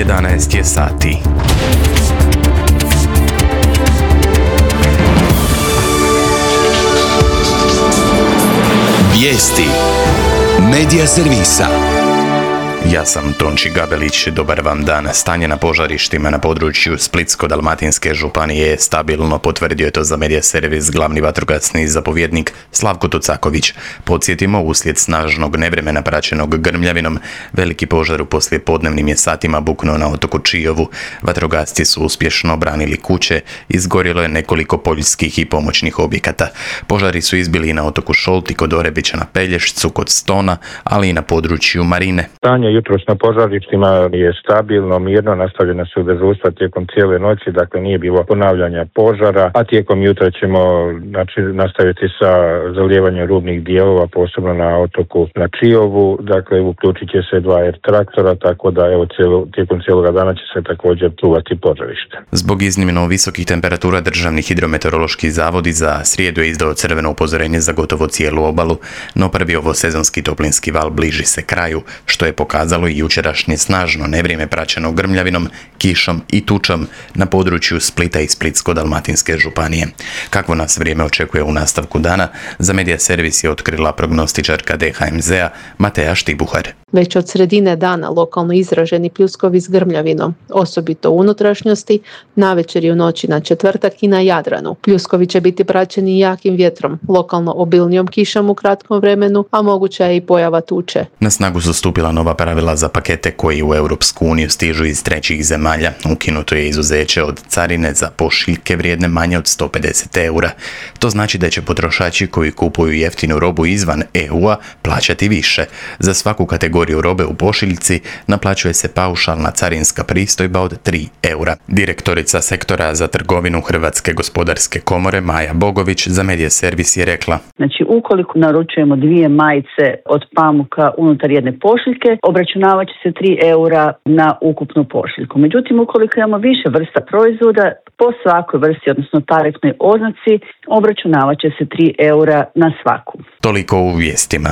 11 je sati. Vijesti Medija servisa. Ja sam Tonči Gabelić, dobar vam dan. Stanje na požarištima na području Splitsko-dalmatinske županije je stabilno, potvrdio je to za Medija servis glavni vatrogasni zapovjednik Slavko Tucaković. Podsjetimo, uslijed snažnog nevremena praćenog grmljavinom, veliki požar u poslijepodnevnim je satima buknuo na otoku Čiovu. Vatrogasci su uspješno obranili kuće, izgorjelo je nekoliko poljskih i pomoćnih objekata. Požari su izbili i na otoku Šolti kod Orebića na Pelješcu, kod Stona, ali i na području Marine. Jutros na požarištima je stabilno, mirno, nastavljena su dežurstva tijekom cijele noći, dakle nije bilo ponavljanja požara, a tijekom jutra ćemo nastaviti sa zalijevanjem rubnih dijelova, posebno na otoku na Čiovu, dakle uključit će se 2 traktora, tako da tijekom cijeloga dana će se također čuvati požarište. Zbog iznimno visokih temperatura Državni hidrometeorološki zavod za srijedu je izdao crveno upozorenje za gotovo cijelu obalu, no prvi ovosezonski toplinski val bliži se kraju, što je pokazalo i jučerašnje snažno nevrijeme praćeno grmljavinom, kišom i tučom na području Splita i Splitsko-dalmatinske županije. Kakvo nas vrijeme očekuje u nastavku dana, za Medija servis je otkrila prognostičarka DHMZ-a Mateja Štibuhar. Već od sredine dana lokalno izraženi pljuskovi s grmljavinom, osobito u unutrašnjosti, navečer i u noći na četvrtak i na Jadranu. Pljuskovi će biti praćeni jakim vjetrom, lokalno obilnijom kišom u kratkom vremenu, a moguća je i pojava tuče. Na snagu su stupila nova pravila za pakete koji u Europsku uniju stižu iz trećih zemalja. Ukinuto je izuzeće od carine za pošiljke vrijedne manje od 150 eura. To znači da će potrošači koji kupuju jeftinu robu izvan EU-a plaćati više. Za svaku kategoriju robe u pošiljci naplaćuje se paušalna carinska pristojba od 3 eura. Direktorica sektora za trgovinu Hrvatske gospodarske komore Maja Bogović za Medija servis je rekla: Znači, ukoliko naručujemo 2 majice od pamuka unutar jedne pošiljke, obračunavat će se 3 eura na ukupnu pošiljku. Međutim, ukoliko imamo više vrsta proizvoda, po svakoj vrsti, odnosno tarifnoj oznaci, obračunavat će se 3 eura na svaku. Toliko u vijestima.